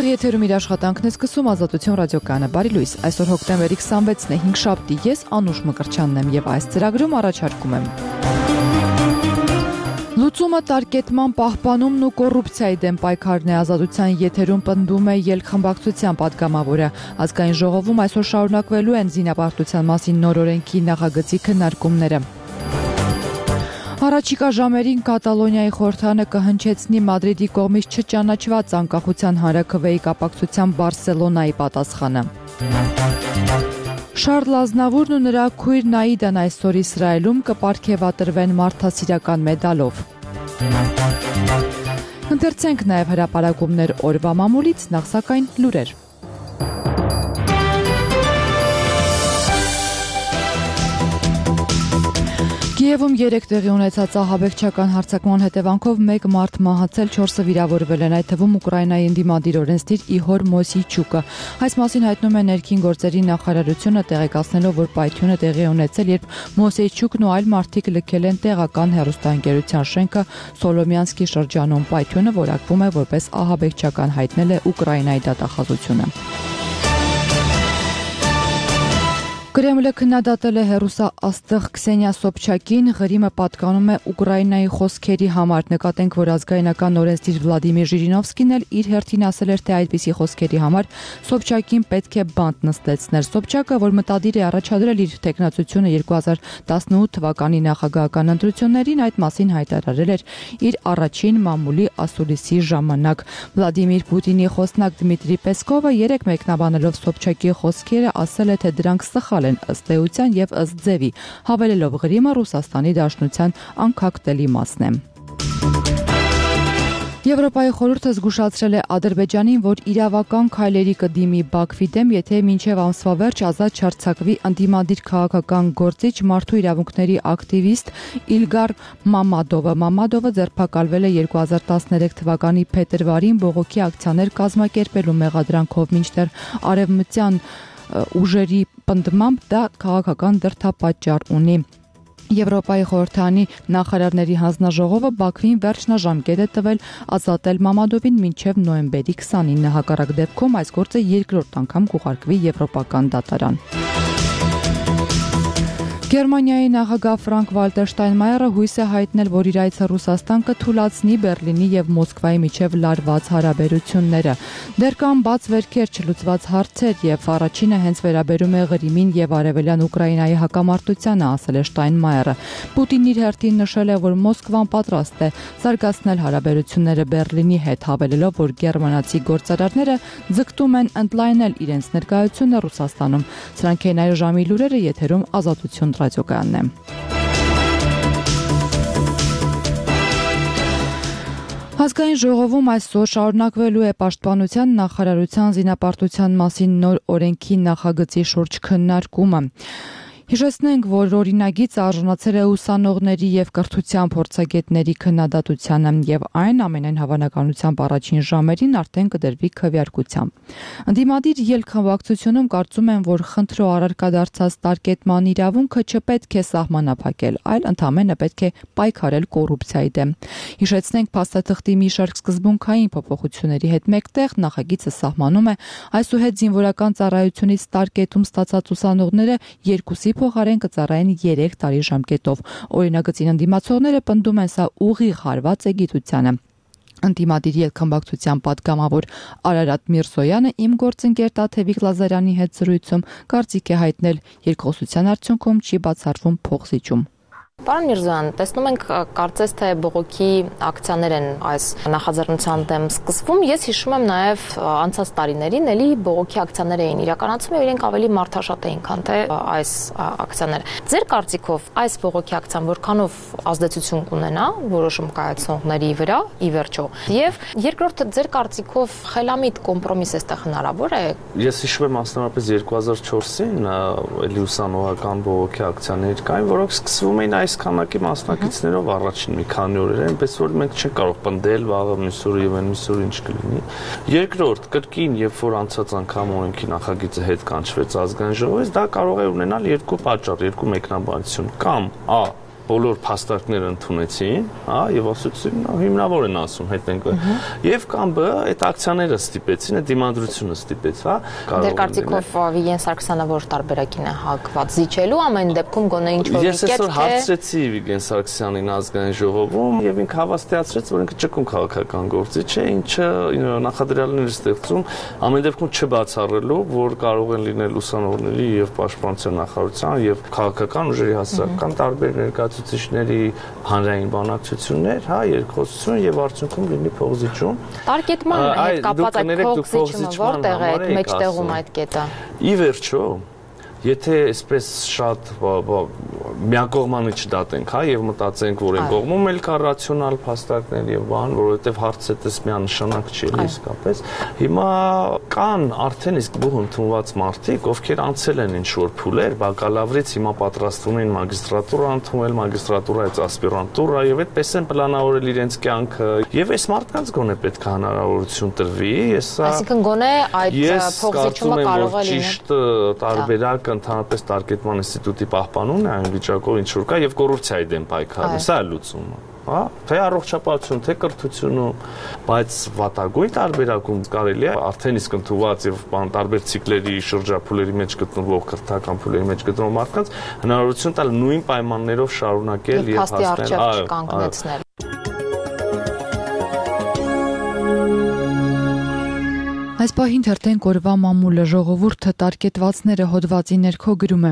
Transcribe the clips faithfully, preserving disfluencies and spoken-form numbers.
Եթերում իր աշխատանքն է սկսում Ազատություն ռադիոկայանը։ Բարի լույս, այսօր հոկտեմբերի քսանվեցն է, հինգշաբթի, ես Անուշ Մկրտչյանն եմ եւ այս ծրագրում առաջարկում եմ Լուծումը տարկետման պահպանումն ու կոռուպցիայի դեմ պայքարն է։ Ազատության եթերում պնդում է ելքխմբակցության պատգամավորը։ Ազգային ժողովում այսօր շարունակվելու են զինապարտության մասին նոր օրենքի նախագծի քննարկումները։ Առաջիկա ժամերին Կատալոնիայի խորհրդարանը կհնչեցնի Մադրիդի կողմից չճանաչված անկախության հանրաքվեի կապակցությամբ Բարսելոնայի պատասխանը։ Շարլ Ազնավուրն ու նրա քույր Նաիդան այսօր Իսրայելում կպարգևատրվեն մարդասիրական մեդալով։ Ընթերցենք նաև հրապարակումներ օրվա մամուլից, նախ սակայն լուրեր։ Կիևում երեք տեղի ունեցած ահաբեկչական հարձակման հետևանքով մեկ մարդ մահացել, չորսը վիրավորվել են, այդ թվում Ուկրաինայի ընդդիմադիր օրենսդիր Իհոր Մոսեյչուկը։ Այս մասին հայտնում է ներքին գործերի նախարարությունը, տեղեկացնելով, որ պայթյունը տեղի ունեցել, երբ Մոսեյչուկն ու այլ մարդիկ լքել են տեղական հեռուստաընկերության շենքը Սոլոմյանսկի շրջանում։ Պայթյունը որակվում է որպես ահաբեկչական, հայտնել է Ուկրաինայի դատախազությունը։ Կրեմլը քննադատել է հեռուստաաստղ Քսենիա Սոբչակին, ղրիմը պատկանում է Ուկրաինայի խոսքերի համար։ Նկատենք, որ ազգայնական օրենսդիր Վլադիմիր Ժիրինովսկին էլ իր հերթին ասել էր, թե այդպիսի խոսքերի համար Սոբչակին պետք է բանտ նստեցներ։ Սոբչակը, որ մտադիր է առաջադրել իր թեկնածությունը երկու հազար տասնութ թվականի նախագահական ընտրություններին, այդ մասին հայտարարել էր իր առաջին մամուլի ասուլիսի ժամանակ։ Վլադիմիր Պուտինի խոսնակ Դմիտրի Պեսկովը երեք մեկնաբանելով Սոբչակի խոսքերը ասել է, թե դրանք սխալ են ըստ էության եւ ըստ ձևի, հավելելով ղրիմը Ռուսաստանի Դաշնության անքակտելի մասն է։ Եվրոպայի խորհուրդը զգուշացրել է Ադրբեջանին, որ իրավական քայլերի կդիմի Բաքվի դեմ, եթե մինչև ամսվա վերջ ազատ չարձակվի ընդդիմադիր քաղաքական գործիչ մարդու իրավունքների ակտիվիստ Իլգար Մամադովը։ Մամադովը ձերբակալվել է երկու հազար տասներեք թվականի փետրվարին բողոքի ակցիաներ կազմակերպելու մեղադրանքով, մինչդեռ արևմտյան ուժերի պնդմամբ դա քաղաքական դրդապատճառ ունի։ Եվրոպայի խորհրդարանի նախարարների հանձնաժողովը Բաքվին վերջնաժամկետ է տվել ազատել Մամադովին մինչև նոյեմբերի քսանինը, հակառակ դեպքում այս գործը երկրորդ անգամ կուղարկվի Եվրոպական դատարան։ Գերմանիայի նախագահ Ֆրանկ Վալտեր Շտայնմայերը հույս է հայտնել, որ իր այցը Ռուսաստան կթույլատնի Բերլինի եւ Մոսկվայի միջև լարված հարաբերությունները։ Դեռ կան բաց վերքեր, չլուծված հարցեր եւ առաջինը հենց վերաբերում է Ղրիմին եւ արևելյան Ուկրաինայի հակամարտությանը, ասել է Շտայնմայերը։ Պուտինն իր հերթին նշել է, որ Մոսկվան պատրաստ է զարգացնել հարաբերությունները Բերլինի հետ, հավելելով, որ գերմանացի գործարարները ձգտում են ընդլայնել իրենց ներկայությունը Ռուսաստանում։ Սրանք են այլ ժամի լուրերը, եթերում Ազատություն ռադիոկայանն է։ Ազգային ժողովում այսօր շարունակվելու է Պաշտպանության նախարարության զինապարտության մասին նոր օրենքի նախագծի շուրջ քննարկումը։ Հիշեցնենք, որ օրինագիծը արժանացել է ուսանողների եւ կրթության փորձագետների քննադատությանը եւ այն ամենայն հավանականությամբ առաջին ժամերին արդեն կդրվի քվեարկությամբ։ Ընդդիմադիր ելքխմբակցությունում կարծում են, որ խնդրո առարկա դարձած տարկետման իրավունքը չպետք է սահմանափակել, այլ ընդամենը պետք է պայքարել կոռուպցիայի դեմ։ Հիշեցնենք, փաստաթղթի մի շարք սկզբունքային փոփոխությունների հետ մեկտեղ նախագիծը սահմանում է այսուհետ զինվորական ծառայությունից տարկետում ստացած ուսանողները երկուսի փոխարեն կծառայեն երեք տարի ժամկետով։ Օրինագծին ընդդիմացողները պնդում են, սա ուղիղ հարված է գիտությանը։ Ընդդիմադիր ելքխմբակցության պատգամավոր Արարատ Միրզոյանը իմ գործընկեր Տաթևիկ Լազարյանի հետ զրույցում կարծիք է հայտնել, երկխոսության արդյունքում չի բացառվում փոխզիջում։ Պարոն Միրզոյան, տեսնում ենք կարծես թե բողոքի ակցիաներ են այս նախաձեռնության դեմ սկսվում։ Ես հիշում եմ նաև անցած տարիներին էլի բողոքի ակցիաներ էին իրականացվում եւ իրենք ավելի մարդաշատ էին, քան թե այս ակցիաները։ Ձեր կարծիքով այս բողոքի ակցիան որքանով ազդեցություն կունենա որոշում կայացնողների վրա ի վերջո։ Եվ երկրորդը, ձեր կարծիքով խելամիտ կոմպրոմիս էստեղ հնարավոր է։ Ես հիշում եմ մասնավորապես երկու հազար չորսին էլի ուսանողական բողոքի ակցիաներ կային, որոնք սկսվում էին այս քանակի մասնակիցներով առաջին մի քանի օրեր, այնպես որ մենք չենք կարող պնդել վաղը մյուս օրը եւ այն մյուս օրը ինչ կլինի։ Երկրորդ, կրկին, երբ որ անցած անգամ օրենքի նախագիծը հետ կանչվեց ազգային ժողովից, դա կարող է ունենալ երկու պատճառ, երկու մեկնաբանություն, կամ ա բոլոր փաստարկները ընդունեցին, հա, եւ ասացին, հիմնավոր են ասում, հետ ենք։ Եվ կամ բ այդ ակցիաները ստիպեցին, այդ դիմադրությունը ստիպեց, հա։ Դեր կարծիքով Վիգեն Սարգսյանը որ տարբերակին է հակված զիջելու ամեն դեպքում գոնե ինչ որ Ես այսօր հարցրեցի Վիգեն Սարգսյանին ազգային ժողովում եւ ինքը հավաստիացրեց, որ ինքը ճկուն քաղաքական գործիչ է, ինչը նախադրյալներ ստեղծում ամեն դեպքում չբացառելու, որ կարող են լինել ուսանողների եւ պաշտպանության նախարարության եւ քաղաքական ուժերի հասարակական տարբեր ներկայացուցիչների հանրային բանակցություններ, հա, երկխոսություն եւ արդյունքում լինի փողզիջում։ Տարկետման հետ կապված այդ փողզիջումը որտեղ է այդ մեջտեղում այդ կետը։ Ի վերջո Եթե այսպես շատ միակողմանի չդատենք, հա, եւ մտածենք, որ այն կողմում էլ կա ռացիոնալ փաստարկներ եւ բան, որովհետեւ հարցը դες միանշանակ չի իսկապես։ Հիմա կան արդեն իսկ բուհ ընդունված մարդիկ, ովքեր անցել են ինչ-որ փուլեր, բակալավրից հիմա պատրաստվում են մագիստրատուրա ընդունել, մագիստրատուրայից ասպիրանտուրա եւ այդպես են պլանավորել իրենց կյանքը։ Եվ այս մարդկանց գոնե պետք է հնարավորություն տրվի։ Ես Այսինքն գոնե այդ փողզիջումը կարող է լինել ճիշտ տարբերակ ընդհանրապես տարկետման ինստիտուտի պահպանումն է այն վիճակով ինչ որ կա եւ կոռուպցիայի դեմ պայքարը, սա է լուծումը, հա, թե առողջապահություն, թե կրթությունում, բայց վատագույն տարբերակում կարելի է արդեն իսկ ընդունված եւ բան տարբեր ցիկլերի շրջափուլերի մեջ գտնվող քրթական փուլերի մեջ գտնվող մարդկանց հնարավորություն տալ նույն պայմաններով շարունակել եւ հասնել կանգնեցնել։ Այս պահին թերթեն կորվա մամուլը ժողովուրդը տարկետվածները հոդվածի ներքո գրում է։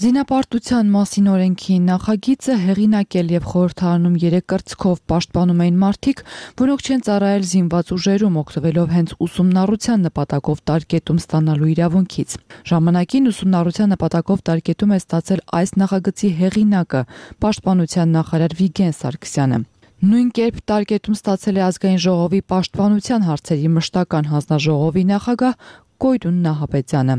Զինապարտության մասին օրենքի նախագիծը հեղինակել եւ խորհրդարանում երեք կրծքով պաշտպանում էին մարդիկ, որոնք չեն ծառայել զինված ուժերում, օգտվելով հենց ուսումնառության նպատակով տարկետում ստանալու իրավունքից։ Ժամանակին ուսումնառության նպատակով տարկետում է ստացել այս նախագծի հեղինակը, պաշտպանության նախարար Վիգեն Սարգսյանը։ Նույն կերպ տարկետում ստացել է ազգային ժողովի պաշտպանության հարցերի մշտական հանձնաժողովի նախագահ Կոյրուն Նահապետյանը։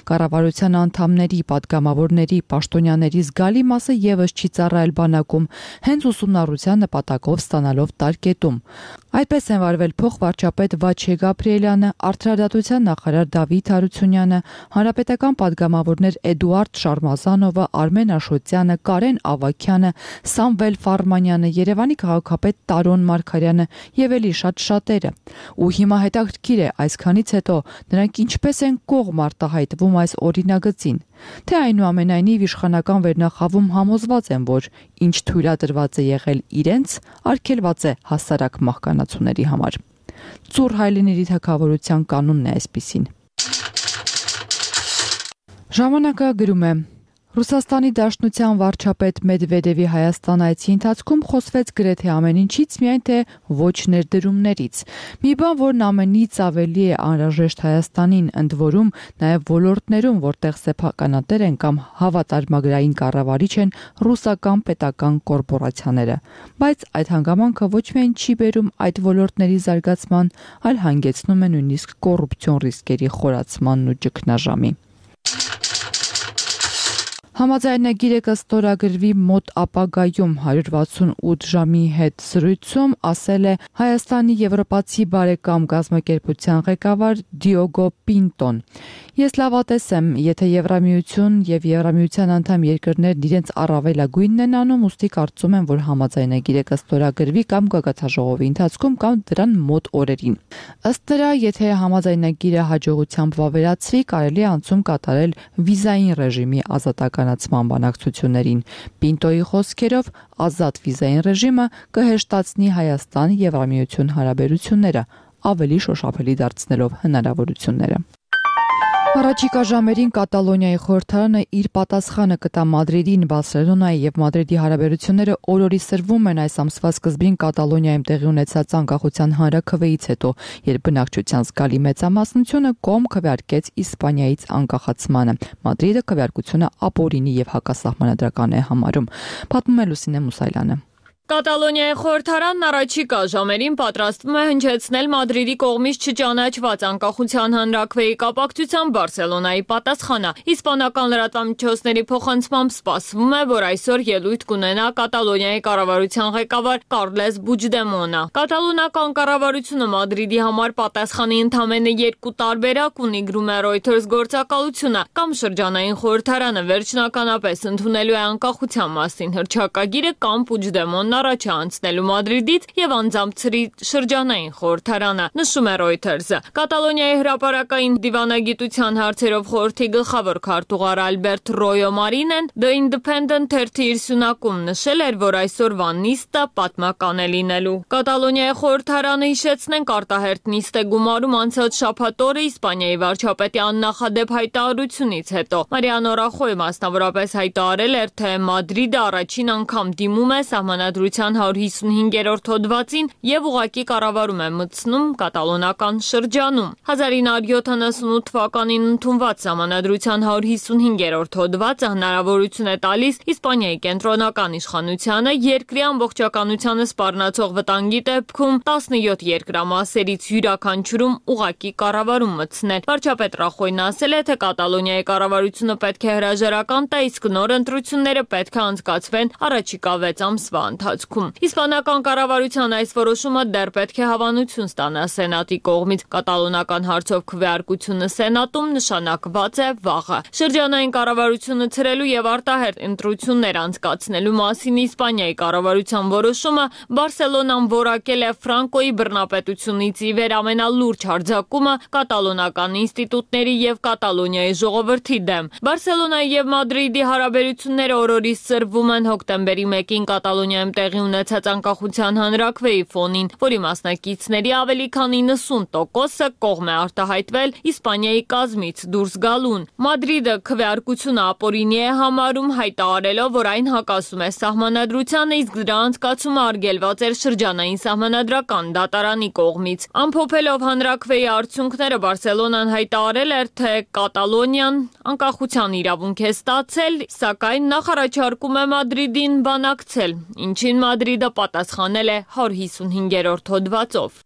Կառավարության անդամների, պատգամավորների, պաշտոնյաների զգալի մասը եւս չի ծառայել բանակում, հենց ուսումնառության նպատակով ստանալով տարկետում։ Այդպես են վարվել փոխվարչապետ Վաչե Գաբրիելյանը, արդարադատության նախարար Դավիթ Հարությունյանը, հանրապետական պատգամավորներ Էդուարդ Շարմազանովը, Արմեն Աշոտյանը, Կարեն Ավագյանը, Սամվել Ֆարմանյանը, Երևանի քաղաքապետ Տարոն Մարգարյանը եւ ելի շատ շատերը։ Ու հիմա հետաքրքիր է այսքանից հետո նրանք ինչպես են կողմ արտահայտվում այս օրինագծին, թե այնուամենայնիվ իշխանական վերնախավում համոզված են, որ ինչ թույլատրված է եղել իրենց, արգելված է հասարակ մահկանացուների համար։ Ծուռ Հայլիների թագավորության կանոնն է այսպիսին։ Ժամանակը գրում է. Ռուսաստանի Դաշնության վարչապետ Մեդվեդևի Հայաստան այցի ընթացքում խոսվեց գրեթե ամեն ինչից, միայն թե ոչ ներդրումներից։ Մի բան, որն ամենից ավելի է անհրաժեշտ Հայաստանին, ընդ որում նաև ոլորտներում, որտեղ սեփականատեր են կամ հավատարմագրային կառավարիչ են ռուսական պետական կորպորացիաները։ Բայց այդ հանգամանքը ոչ միայն չի բերում այդ ոլորտների զարգացման, այլ հանգեցնում է նույնիսկ կոռուպցիոն ռիսկերի խորացմանն ու ճգնաժամի։ Համաձայնագիրը կստորագրվի մոտ ապագայում հարյուր վաթսունութ ժամի հետ զրույցում ասել է Հայաստանի եվրոպացի բարեկամ կազմակերպության ղեկավար Դիոգո Պինտոն։ Ես լավատես եմ, եթե Եվրամիություն եւ Եվրամիության անդամ երկրներն իրենց առավելագույնն են անում, ուստի կարծում եմ, որ համաձայնագիրը կստորագրվի կամ կգաթաժողովի ընթացքում կամ դրան մոտ օրերին։ Ըստ նրա, եթե համաձայնագիրը հաջողությամբ վավերացվի, կարելի է անցում կատարել վիզային ռեժիմի ազատականացման բանակցություններին։ Պինտոյի խոսքերով, ազատ վիզային ռեժիմը կհեշտացնի Հայաստան-Եվրամիություն հարաբերությունները, ավելի շոշափելի դարձնելով հնարավորությունները։ Առաջիկա ժամերին Կատալոնիայի խորհրդարանը իր պատասխանը կտա Մադրիդին, Բարսելոնայի եւ Մադրիդի հարաբերությունները օրորի սրվում են այս ամսվա սկզբին Կատալոնիայում տեղի ունեցած անկախության հանրաքվեից հետո, երբ բնակչության զգալի մեծամասնությունը կողմ քվեարկեց Իսպանիայից անկախացմանը։ Մադրիդը քվեարկությունը ապօրինի եւ հակասահմանադրական է համարում։ Պատմում է Լուսինե Մուսայլյանը։ Կատալոնիայի խորհրդարանն առաջիկա ժամերին պատրաստվում է հնչեցնել Մադրիդի կողմից չճանաչված անկախության հանրաքվեի կապակցությամբ Բարսելոնայի պատասխանը։ Իսպանական լրատվամիջոցների փոխանցմամբ սպասվում է, որ այսօր ելույթ կունենա Կատալոնիայի կառավարության ղեկավար Կարլես Պուջդեմոնը։ Կատալոնական կառավարությունը Մադրիդի համար պատասխանի ընդամենը երկու տարբերակ ունի, գրում է Reuters գործակալությունը, կամ շրջանային խորհրդարանը վերջնականապես ընդունելու է անկախության մասին հռչակագիրը, կամ Պուջդեմոնն առաջ է անցնելու Մադրիդից եւ անձամցրի շրջանային խորհրդարանը, նշում է Reuters-ը։ Կատալոնիայի հրապարակային դիվանագիտության հարցերով խորհրդի գլխավոր քարտուղար Ալբերտ Ռոյո Մարինեն The Independent թերթի իր սյունակում նշել էր, որ այսօրվա նիստը պատմական է լինելու։ Կատալոնիայի խորհրդարանը, հիշեցնենք, արտահերթ նիստ է գումարում անցած շաբաթ օրը Իսպանիայի վարչապետի աննախադեպ հայտարարությունից հետո։ Մարիանո Ռախոյը մասնավորապես հայտարարել էր, թե Մադրիդը առաջին անգամ դիմում է սահմանադրության հարյուր հիսունհինգերորդ հոդվածին եւ ուղղակի կառավարում է մտցնում կատալոնական շրջանում։ հազար ինը հարյուր յոթանասունութ թվականին ընդունված սահմանադրության հարյուր հիսունհինգերորդ հոդվածը հնարավորություն է տալիս Իսպանիայի կենտրոնական իշխանությանը երկրի ամբողջականությանը սպառնացող վտանգի դեպքում տասնյոթ երկրամասերից յուրաքանչյուրում ուղղակի կառավարում մտցնել։ Վարչապետ Ռախոյն ասել է, թե Կատալոնիայի կառավարությունը պետք է հրաժարական տա, իսկ նոր ընտրությունները պետք է անցկացվեն առաջիկա վեց ամսվա ընթացքում։ Իսպանական կառավարության այս որոշումը դեռ պետք է հավանություն ստանա Սենատի կողմից։ Կատալոնական հարցով քվեարկությունը Սենատում նշանակված է վաղը։ Շրջանային կառավարությունը ցրելու եւ արտահերթ ընտրություններ անցկացնելու մասին Իսպանիայի կառավարության որոշումը Բարսելոնան որակել է Ֆրանկոյի բռնապետությունից ի վեր ամենալուրջ հարձակումը կատալոնական ինստիտուտների եւ Կատալոնիայի ժողովրդի դեմ։ Բարսելոնայի եւ Մադրիդի հարաբերությունները օրորից սրվում են հոկտեմբերի մեկին Կատալոնիայում տեղի ունեցած անկախության հանրաքվեի ֆոնին, որի մասնակիցների ավելի քան իննսուն տոկոսը կողմ է արտահայտվել Իսպանիայի կազմից դուրս գալուն։ Մադրիդը քվեարկությունը ապօրինի է համարում, հայտարարելով, որ այն հակասում է սահմանադրությանը, իսկ դրա անցկացումը արգելված էր շրջանային սահմանադրական դատարանի կողմից։ Ամփոփելով հանրաքվեի արդյունքները, Բարսելոնան հայտարարել էր, թե Կատալոնիան անկախության իրավունք է ստացել, սակայն նախ առաջարկում է Մադրիդին բանակցել, ինչին Մադրիդը պատասխանել է հարյուր հիսունհինգերորդ հոդվածով։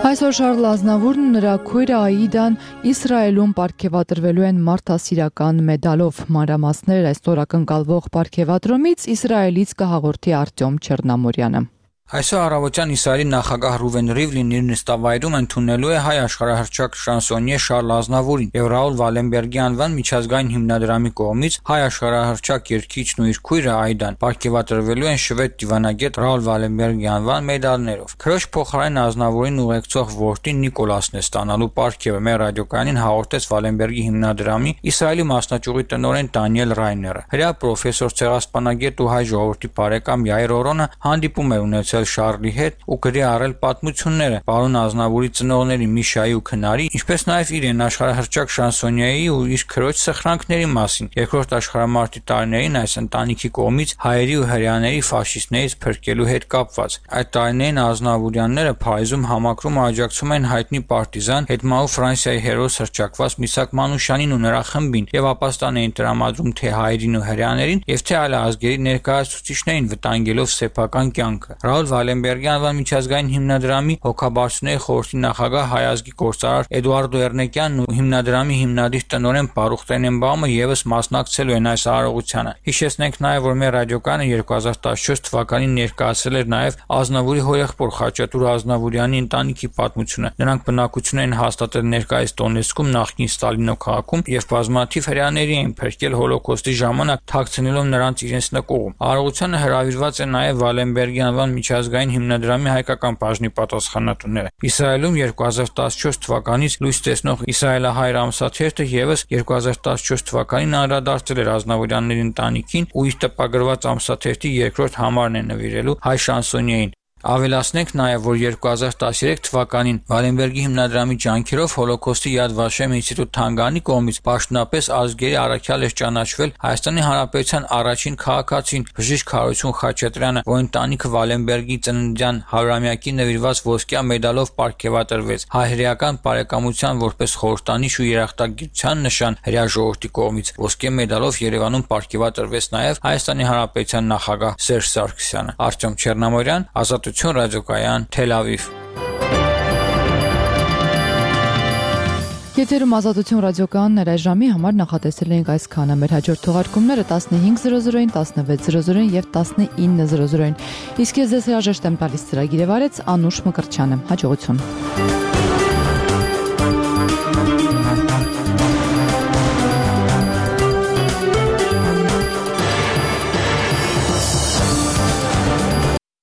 Այսօր Շարլ Ազնավուրն նրա քույրը Աիդան Իսրայելում պարգևատրվելու են մարդասիրական մեդալով։ Մանրամասներ այսօր ակնկալվող պարգևատրումից Իսրայելից կհաղորդի Արտյոմ Չեռնամորյանը։ Այսօր առավոտյան Իսրայելի նախագահ Ռուվեն Ռիվլին իր նստավայրում ընդունելու է հայ աշխարհահռչակ շանսոնյե Շարլ Ազնավուրին եւ Ռաուլ Վալենբերգի անվան միջազգային հիմնադրամի կողմից հայ աշխարհահռչակ երգիչն ու իր քույրը Այդան պարգևատրվելու են շվեդ դիվանագետ Ռաուլ Վալենբերգի անվան մեդալներով։ Քրոջ փոխարեն Ազնավուրին ուղեկցող որդին Նիկոլասն է ստանալու պարգևը։ Մեր ռադիոկայանին հաղորդեց Վալենբերգի հիմնադրամի Իսրայելի մասնաճյուղի տնօրեն Դանիել Ռայները։ Հրեա պրոֆեսոր ցեղասպանագետ ու հայ ժողովրդի բարեկամ Յայր Օրոնը հանդիպում է ունեցել Շարլի հետ ու գրի առել պատմությունները պարոն Ազնավուրի ծնողների Միշայի ու Քնարի, ինչպես նաև իրեն աշխարհահռչակ շանսոնյեի ու իր քրոջ սխրանքների մասին։ Երկրորդ աշխարհամարտի տարիներին այս ընտանիքի կողմից հայերի ու հրեաների ֆաշիստներից փրկելու հետ կապված։ Այդ տարիներին Ազնավուրյանները Փարիզում համակրում աջակցում են հայտնի պարտիզան հետմահու Ֆրանսիայի հերոս հռչակված Միսակ Մանուշյանին ու նրա խմբին եւ ապաստան էին տրամադրում թե հայերին ու հրեաներին եւ թե այլ ազգերի ներկայացուցիչներին, վտանգելով սեփական կյանքը։ Ռաուլ Վալենբերգի անվան միջազգային հիմնադրամի հոգաբարձուների խորհրդի նախագահ հայ ազգի գործարար Էդուարդո Էրնեկյանն ու հիմնադրամի հիմնադիր տնօրեն Բարուխ Տենենբաումը եւս մասնակցելու են այս արարողությանը։ Հիշեցնենք նաեւ, որ մեր ռադիոկայանը երկու հազար տասնչորս թվականին ներկայացրել էր նաեւ Ազնավուրի հորեղբոր Խաչատուր Ազնավուրյանի ընտանիքի պատմությունը։ Նրանք բնակություն են հաստատել ներկայիս Դոնեցկում, նախկին Ստալինո քաղաքում եւ բազմաթիվ հրեաների են փրկել հոլոկոստի ժամանակ, թաքցնելով նրանց իրենց նկուղում։ Արարողությանը հրավիրված է նաեւ Վալենբերգի անվան միջազգային հիմնադրամի հայկական բաժնի պատասխանատուները։ Իսրայելում երկու հազար տասնչորս թվականից լույս տեսնող Իսրայելահայր ամսաթերթը եւս երկու հազար տասնչորս թվականին անդրադարձել էր Ազնավուրյանների ընտանիքին ու իր տպագրված ամսաթերթի երկրորդ համարն է նվիրելու հայ շանսոնյեին։ Ավելացնենք նաև, որ երկու հազար տասներեք թվականին Վալենբերգի հիմնադրամի ջանքերով Հոլոկոստի Yad Vashem ինստիտուտ Թանգանի կողմից պաշտոնապես ազգերի առաքյալ էր ճանաչվել Հայաստանի Հանրապետության առաջին քաղաքացին բժիշկ Հարություն Խաչատրյանը, որ ընտանիքը Վալենբերգի ծննդյան հարյուրամյակի նվիրված ոսկյա մեդալով պարգևատրվեց հայ-հրեական բարեկամության որպես խորհրդանիշ ու երախտագիտության նշան հրեա ժողովրդի կողմից։ Ոսկե մեդալով Երևանում պարգևատրվեց նաև Հայաստանի Հանրապետության նախագահ Սերժ Սարգսյանը։ Արտյոմ Չեռնամորյան, Ազատություն ռադիոկայան, Թել Ավիվ։ Եթերում Ազատություն ռադիոկայանն այս ժամի համար նախատեսել ենք այսքանը։ Մեր հաջորդ թողարկումները տասնհինգ զրո զրոին, տասնվեց զրո զրոին եւ տասնինը զրո զրոին։ Իսկ ես ձեզ հրաժեշտ եմ տալիս ծրագիրը վարեց Անուշ Մկրտչյանը։ Հաջողություն։